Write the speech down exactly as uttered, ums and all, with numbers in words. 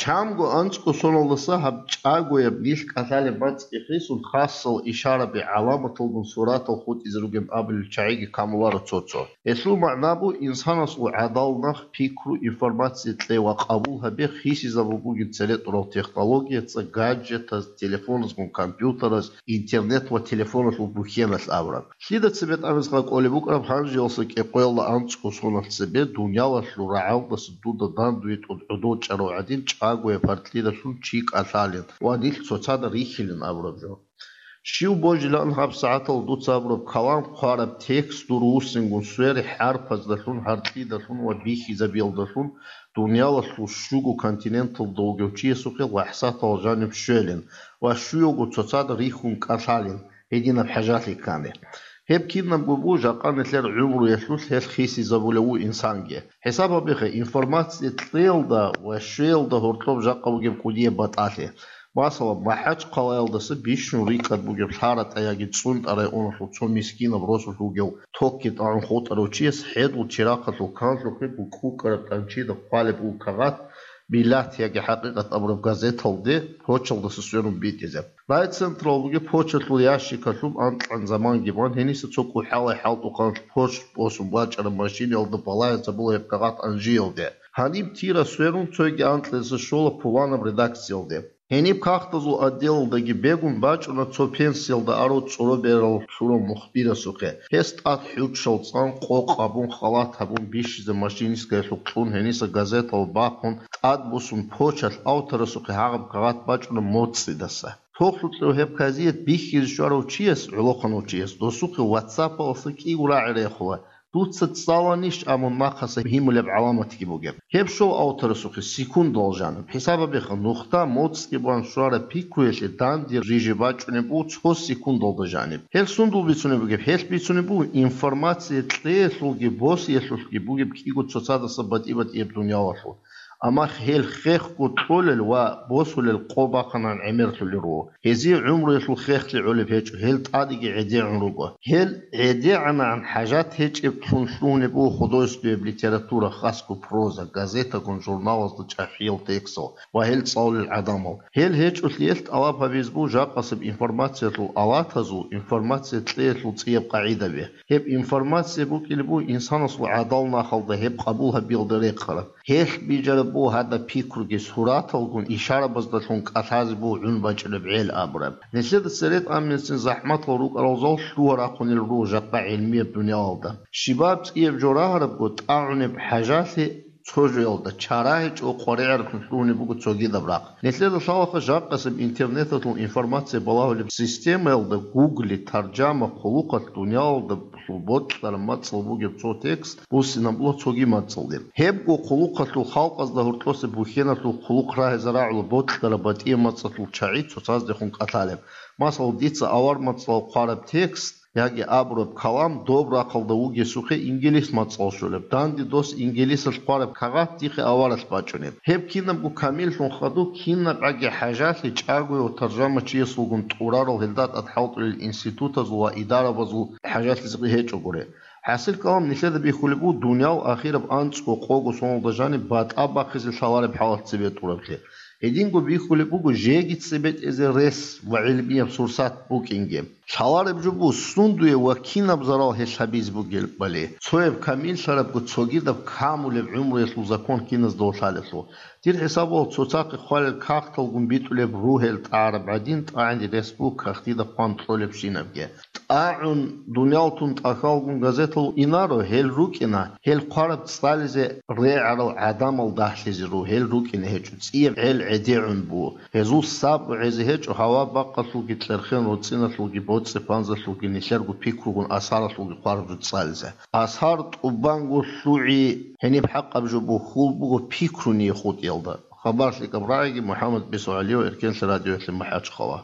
Чанго анцӀго соналдаса гьаб чӀагояб нилъ кӀалъалеб мацӀги хисун, хасал ишараби гӀаламаталгун суратал хутӀизе ругеб абулел чагӀиги камуларо цо-цо. Гьелъул магӀна бу, инсанасул гӀадал нах, пикру, информация кье ва къабул гьабе хисизабун бугеб цере тӀурал технологияца, гаджетаз, телефоназгун компьютераз, интернет ва телефоналъул бухьеналъ абураб. Лъида цебетӀ абизе кӀолеб букӀараб, гьанжеялъа кӀикъоялда анцӀго соналъ цебе дуниялалъул рагӀалдаса дуда дандуе тӀуд гӀодов чӀарав гӀадин чӀагояб гьаркьидалъун чи кӀалъалин ва нилъ цоцазда рихьилин абураб жо. Щив божилаан гьаб сагӀатал дуца абураб калам, хъвараб текст дур вуссингун свере хӀарпаздалъун, гьаркьидалъун ва бихьизабиялдалъун дуниялалъул щуго континенталда вугев чиясухъе лахӀзатал жаниб щвелин ва щуялго цоцазда рихьун кӀалъалин, гьединаб хӀажалъи ккани. Гьеб кинабго бу жакъа нилъер гӀумруялъулъ гьелъ хисизабулев ву инсанги. ХӀисаб гьабихъе, информация кьеялда ва щвеялда гьоркьоб жакъа бугеб кӀудияб батӀалъи. Масала, МахӀачхъалаялдаса бищун рикӀкӀад бугеб ЛъаратӀа яги ЦӀунтӀа районалъул цо мискинаб росулъ вугев токги тӀагӀун хутӀарав чияс хӀедул чирахъалъул канлъухъе букӀукӀараб тӀанчида хъвалеб буго кагъат, «Миллат» яги «ХӀакъикъат» абураб газеталде почталдаса сверун битӀизе. Райцентралъ бугеб почталъул ящикалъуб анкьан заманги бан, гьениса цо кӀухӀалай хӀалтӀухъанлъ почт босун бачӀараб машинаялда балагьизабула гьеб кагъат анжиялде. Гьаниб тира сверун, цоги анкьизе щола пуланаб редакциялде. Гьениб кагътазул отделалдаги бегун бачӀуна цо пенсиялда арав цӀуро берал лъурав мухбирасухъе. Гьес тӀад хӀуччал цӀан, къокъ гьабун, халат гьабун, бищизе машинисткаялъухъ кьун, гьениса газетал бахъун, тӀад босун почталъ авторасухъе гьагъаб кагъат бачӀуна моцӀидаса. Тохлъукьев гьеб казият бихьизе щварав чияс, гӀолохъанав чияс, досухъе ватсапалъа кӀиго рагӀи рехула: «Дуца цӀаланищ?» — абун нахъаса гьимулеб гӀаламатги бугеб. Гьеб щол авторасухъе секундал жаниб. ХӀисаб гьабиха, нухда моцӀги бан щвараб пикруялъе данде рижи бачӀунеб буго цо секундалда жаниб. Гьел сундул бицунеб бугеб? Гьелъ бицунеб буго информация кьеялъулги босиялъулъги бугеб кӀиго цоцадаса батӀи-батӀияб дуниялалъул. Амма гьел хехго кьолел ва босулел къо бахъанан гӀемерлъулел руго. Гьезие гӀумруялъул хехлъи гӀолеб гьечӀо, гьел тӀадеги гӀедегӀун руго. Гьел гӀедегӀанагӀан хӀажат гьечӀеблъун лъугьунеб буго художественнияб литература, хасго проза, газетагун, журналазда чӀахӀиял текстал ва гьел цӀалулел гӀадамал. Гьел гьечӀолъиялъ тӀалаб гьабизе буго жакъасеб информациялъул алатазул информация кьеялъул цӀияб къагӀидаби. Гьеб информация букӀине буго инсанасул гӀадал нахалда гьеб къабул гьабиялда рехъараб. Гьелъ бижараб буго гьадаб пикруги, сураталгун ишарабаздалъун кӀалъазе буго гӀун бачӀунеб гӀел абураб. Нилъеда церет аммецин захӀматал рукӀарал зал лъугьа-рахъунел руго жакъа гӀилмияб дуниялалда. Щибаб цӀияб жо рагьарабго, тӀагӀунеб хӀажалъи цо жоялда чара гьечӀо, къваригӀаралъун лъугьунеб буго цогидаб рахъ. Нилъеда лъалаха жакъасеб интернеталъул информация балагьулеб системаялда гугли, таржама, хъулухъалъ дуниялалда бокьараб мацӀал бугеб цо текст буссинабула цоги мацӀалде. Гьебго хъулухъалъул халкъазда гьоркьоса бухьеналъул хъулухъ рагьизе рагӀула бокьараб батӀияб мацӀалъул чагӀи цоцаздехун кӀалъалеб. Масала, дица авар мацӀалъ хъвараб текст яги абураб калам доб рахъалда вугесухъе инглис мацӀалъ щолеб. Данде дос инглисалъ хъвараб кагъат дихъе аваралъ бачӀунеб. Гьеб кинабго камиллъун хадуб, кинабгӀаги хӀажалъи чӀагояв таржамачиясулгун тӀурарал гьелда тӀад хӀалтӀулел институтазул ва идарабазул хӀажалъизе гьечӀогури. ХӀасил калам нилъеда бихьулеб буго дуниял ахираб анцӀго къого соналда жаниб батӀа бахъизе лъалареб хӀалат цебе тӀураблъи. Гьединго бихьулеб буго жеги цебетӀезе рес ва гӀилмияб сурсат букӀинги. Лъалареб жо буго, сундуе ва кинаб зарал гьелъ гьабизе бугебали, цояб камиллъарабго цогидаб камулеб гӀумруялъул закон киназда лъалелъул. Дир хӀисабалъ цоцахъе хъвалел кагъталгун битӀулеб ругьел тӀагӀараб гӀадин, тӀагӀине рес буго кагътида хъван кьолебщинабги. ТӀагӀун, дуниял тун тӀахьалгун газетал инаро, гьел рукӀина, гьел хъвараб цӀализе регӀарал гӀадамал дагьлъизе руго, гьел рукӀине гьечӀо, цӀияб гӀел гӀедегӀун буго. Гьезул сабру гӀезе гьечӀо, гьава бакъалъулги кьерхен роцӀиналъулги боцӀи-панзалъулги нилъерго пикругун асаралъулги хъвараб жо цӀализе. Асар тӀубанго лъугӀи гьениб хӀакъаб жо бухьул буго пикруни хутӀиялда. Хабар лъикӀаб рагӀиги, МухӀаммад БесогӀалиев, Эркенлъи радиоялъе МахӀачхъала.